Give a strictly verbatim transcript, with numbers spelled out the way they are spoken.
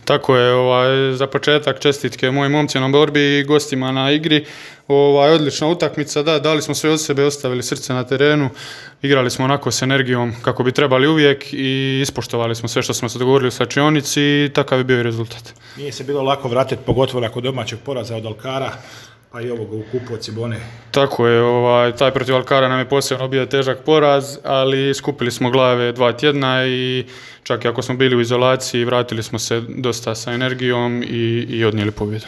Tako je, ovaj, za početak čestitke mojim momcima na borbi i gostima na igri. Ovaj, odlična utakmica, da, dali smo sve od sebe, ostavili srce na terenu, igrali smo onako s energijom kako bi trebali uvijek i ispoštovali smo sve što smo se dogovorili u slačionici i takav je bio i rezultat. Nije se bilo lako vratiti, pogotovo nakon domaćeg poraza od Alkara, pa i ovoga u kupu od Cibone. Tako je, ovaj, taj protiv Alkara nam je posebno bio težak poraz, ali skupili smo glave dva tjedna i čak i ako smo bili u izolaciji, vratili smo se dosta sa energijom i, i odnijeli pobjedu.